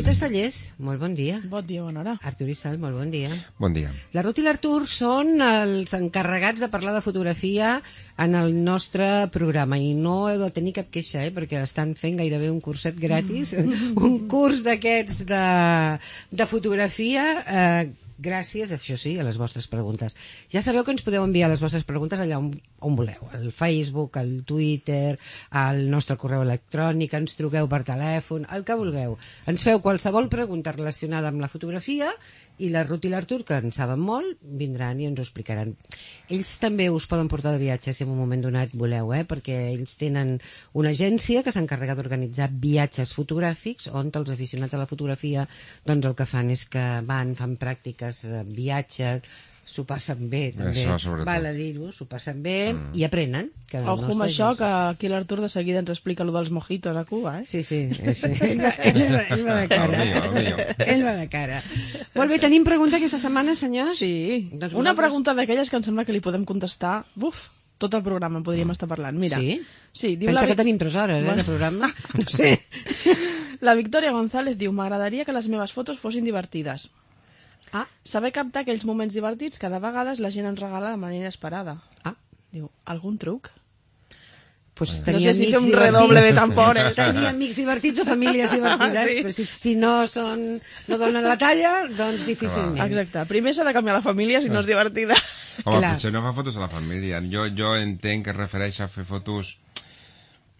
Ruth Estallés, molt bon dia. Bon dia, bona hora. Artur Issal, molt bon dia. Bon dia. La Ruth i l'Artur són els encarregats de parlar de fotografia en el nostre programa i no heu de tenir cap queixa, perquè estan fent gairebé un curset gratis, un curs d'aquests de fotografia gràcies, això sí, a les vostres preguntes. Ja sabeu que ens podeu enviar les vostres preguntes allà on voleu, al Facebook, al Twitter, al nostre correu electrònic, ens truqueu per telèfon, el que vulgueu. Ens feu qualsevol pregunta relacionada amb la fotografia i la Ruth i l'Artur, que en saben molt, vindran i ens ho explicaran. Ells també us poden portar de viatge si en un moment donat voleu, perquè ells tenen una agència que s'encarrega d'organitzar viatges fotogràfics on els aficionats a la fotografia doncs el que fan és que van, fan pràctiques, viatges, s'ho passen bé també, val a dir-ho, s'ho passen bé i aprenen. Ojo amb això, que aquí l'Artur de seguida ens explica allò dels mojitos a Cuba, Sí. Ell va de cara. Ell va de cara. Molt bé, tenim pregunta aquesta setmana, senyors? Sí, doncs una pregunta d'aquelles que em sembla que li podem contestar, tot el programa en podríem estar parlant. Mira, sí? Diu pensa que tenim 3 hores, de programa? No sé. La Victòria González diu: m'agradaria que les meves fotos fossin divertides. Saber captar aquells moments divertits que de vegades la gent ens regala de manera esperada. Diu, algun truc? Pues no sé si fer un redoble de tambores. Tenir amics divertits o famílies divertides, però si no donen la talla, doncs difícilment. Exacte, primer s'ha de canviar la família si no és divertida. Home, potser no fa fotos a la família. Jo entenc que es refereix a fer fotos,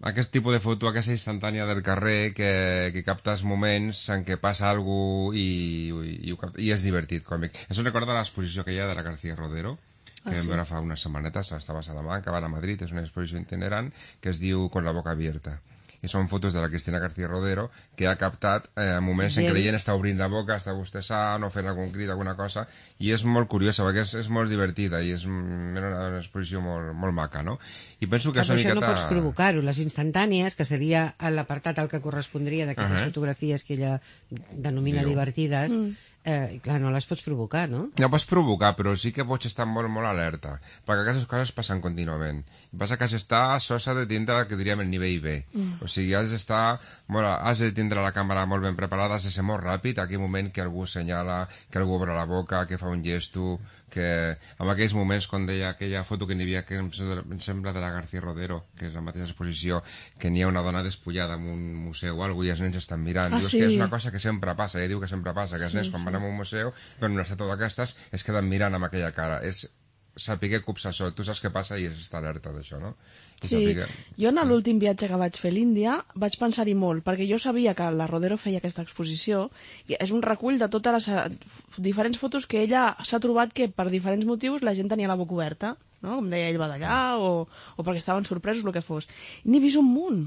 aquest tipus de foto, aquesta instantània del carrer que captes moments en què passa alguna cosa i és divertit, còmic. Això recorda l'exposició que hi ha de la García Rodero, que vam veure fa unes setmanetes, estava a Salamanca, va a Madrid, és una exposició itinerant que es diu Con la boca abierta. I són fotos de la Cristina García Rodero que ha captat moments en què la gent està obrint la boca, està bostessant o fent algun crit, alguna cosa, i és molt curiosa perquè és molt divertida i és una exposició molt maca, no? I penso que això no pots provocar-ho. Les instantànies, que seria l'apartat al que correspondria d'aquestes fotografies que ella denomina divertides, clar, no les pots provocar, no? No pots provocar, però sí que pots estar molt, molt alerta, perquè aquestes coses passen contínuament. El que passa que has d'estar sosa de tindre el que diríem el nivell B. O sigui, has de tindre la càmera molt ben preparada, has de ser molt ràpid, aquell moment que algú assenyala, que algú obre la boca, que fa un gesto, que en aquells moments, quan deia aquella foto que n'hi havia, que em sembla de la García Rodero, que és la mateixa exposició, que n'hi ha una dona despullada en un museu o alguna cosa i els nens estan mirant. Dius que és una cosa que sempre passa, ella diu que sempre passa, que els nens quan van a un museu, però en una estàtua d'aquestes, es queden mirant amb aquella cara. És saber copsar això. Tu saps què passa i és estar alerta d'això, no? Sí, jo en l'últim viatge que vaig fer a l'Índia vaig pensar-hi molt, perquè jo sabia que la Rodero feia aquesta exposició i és un recull de totes les diferents fotos que ella s'ha trobat que per diferents motius la gent tenia la boca oberta, no? Com deia, ell va d'allà o perquè estaven sorpresos, el que fos. N'he vist un munt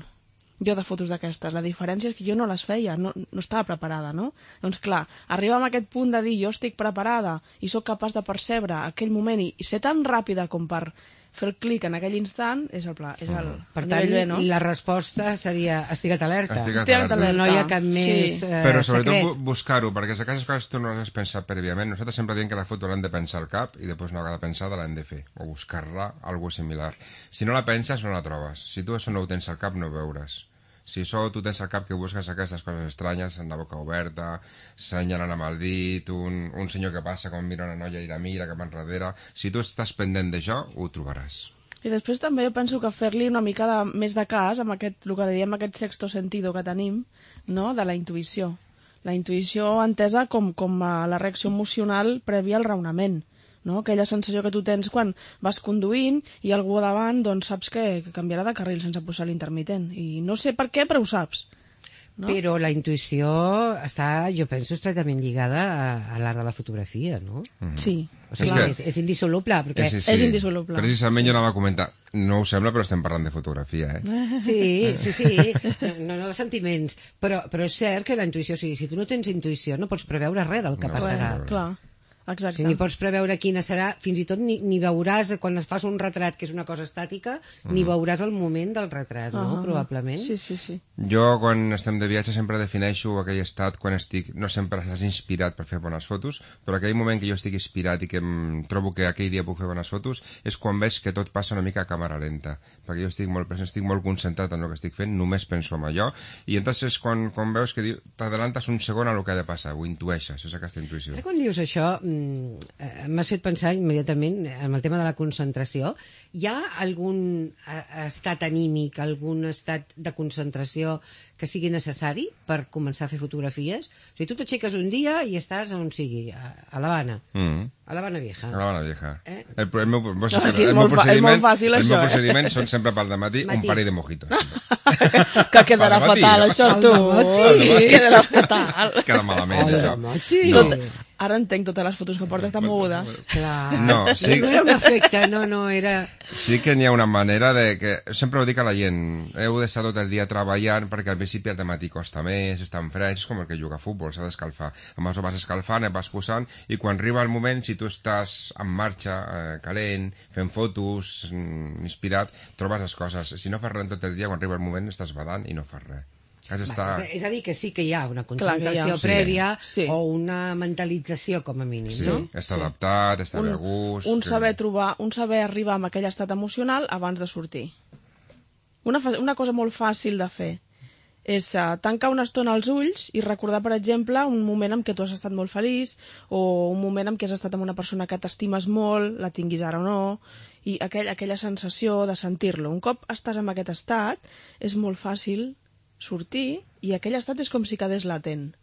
jo de fotos d'aquestes. La diferència és que jo no les feia, no estava preparada, no? Doncs clar, arribar a aquest punt de dir jo estic preparada i sóc capaç de percebre aquell moment i ser tan ràpida com per fer el clic en aquell instant és el pla. Per tant, la resposta seria estigua't alerta. Estigua't alerta. No hi ha cap més secret. Però sobretot buscar-ho, perquè si aquestes coses tu no les has pensat prèviament. Nosaltres sempre diem que la foto l'hem de pensar al cap i després no cada pensada l'hem de fer, o buscar-la, algo similar. Si no la penses, no la trobes. Si tu això no ho tens al cap, no ho veuràs. Si això tu tens al cap que busques aquestes coses estranyes, amb la boca oberta, senyalant amb el dit, un senyor que passa com mira una noia i la mira cap enrere, si tu estàs pendent d'això, ho trobaràs. I després també jo penso que fer-li una mica més de cas amb el que diem aquest sexto sentido que tenim, no? De la intuïció. La intuïció entesa com la reacció emocional prèvia al raonament. No? Aquella sensació que tu tens quan vas conduint i algú davant doncs saps que canviarà de carril sense posar l'intermitent i no sé per què però ho saps, no? Però la intuïció està, jo penso, estretament lligada a l'art de la fotografia, no? Sí. O sigui, és indissoluble perquè... És indissoluble. Precisament jo anava a comentar, no ho sembla però estem parlant de fotografia, Sí, no de sentiments, però és cert que la intuïció, si tu no tens intuïció no pots preveure res del que passarà. Clar. Exacte. Si ni pots preveure quina serà, fins i tot ni veuràs, quan es fas un retrat, que és una cosa estàtica, ni veuràs el moment del retrat, no? Probablement. Sí. Jo, quan estem de viatge, sempre defineixo aquell estat quan estic... No sempre estàs inspirat per fer bones fotos, però aquell moment que jo estic inspirat i que em trobo que aquell dia puc fer bones fotos és quan veig que tot passa una mica a càmera lenta, perquè jo estic molt present, estic molt concentrat en el que estic fent, només penso en allò, i entonces és quan veus que t'adelantes un segon a el que ha de passar, ho intueixes, és aquesta intuïció. Ara quan dius això, m'has fet pensar immediatament en el tema de la concentració. Hi ha algun estat anímic, algun estat de concentració que sigui necessari per començar a fer fotografies? O sigui, tu t'aixeques un dia i estàs on sigui, a l'Havana. A l'Havana Vieja. A l'Havana Vieja. El molt fàcil, el això, meu procediment són sempre pel dematí un parell de mojitos. Que quedarà fatal, això, tu. Quedarà fatal. Queda malament, això. Ara entenc totes les fotos que portes tan mogudes. Clar. No, sí. No era un efecte, no, era... Sí que n'hi ha una manera de que... Sempre ho dic a la gent, heu d'estar tot el dia treballant perquè al principi el dematí costa més, és tan fresc, és com el que juga a futbol, s'ha d'escalfar. Llavors ho vas escalfant, et vas posant, i quan arriba el moment, si tu estàs en marxa, calent, fent fotos, inspirat, trobes les coses. Si no fas res tot el dia, quan arriba el moment estàs badant i no fas res. És a dir, que sí que hi ha una concentració prèvia o una mentalització, com a mínim, no? Sí, està adaptat, està bé a gust... Un saber arribar a aquell estat emocional abans de sortir. Una cosa molt fàcil de fer és tancar una estona els ulls i recordar, per exemple, un moment en què tu has estat molt feliç o un moment en què has estat amb una persona que t'estimes molt, la tinguis ara o no, i aquella sensació de sentir-lo. Un cop estàs en aquest estat, és molt fàcil sortir i aquell estat és com si quedés latent,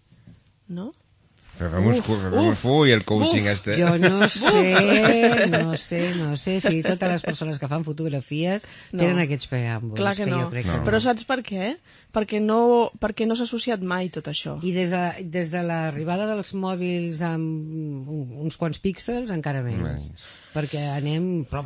no? Fem un full, el coaching este. Jo no sé si totes les persones que fan fotografies tenen aquests preàmbuls. Clar que no. Però saps per què? Perquè no s'ha associat mai tot això. I des de l'arribada dels mòbils amb uns quants píxels encara menys. Perquè anem a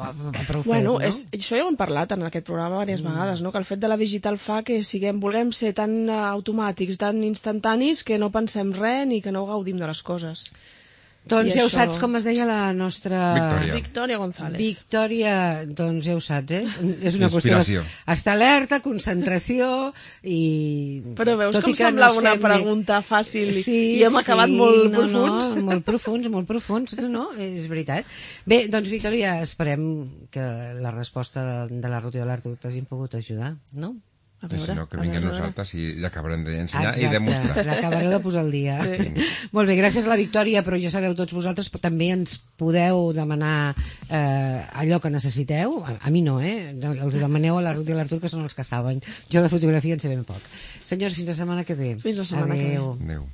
prou fet, no? Això ja ho hem parlat en aquest programa diverses vegades, no? Que el fet de la digital fa que vulguem ser tan automàtics, tan instantanis, que no pensem res ni que no gaudim de les coses. Doncs ja ho saps com es deia la nostra... Victòria González. Victòria, doncs ja ho saps, És una qüestió d'estar alerta, concentració i... Però veus com semblava una pregunta fàcil i hem acabat molt profuns? Molt profuns, no, és veritat. Bé, doncs Victòria, esperem que la resposta de la Ruth i de l'Artur t'hagin pogut ajudar, no? Si no, que vinguin nosaltres i l'acabarem d'ensenyar i demostrar. L'acabareu de posar al dia. Molt bé, gràcies a la Victòria, però ja sabeu tots vosaltres, però també ens podeu demanar allò que necessiteu. A mi no, els demaneu a la Ruth i a l'Artur, que són els que saben. Jo de fotografia en sé ben poc. Senyors, fins la setmana que ve. Fins la setmana que ve. Adéu.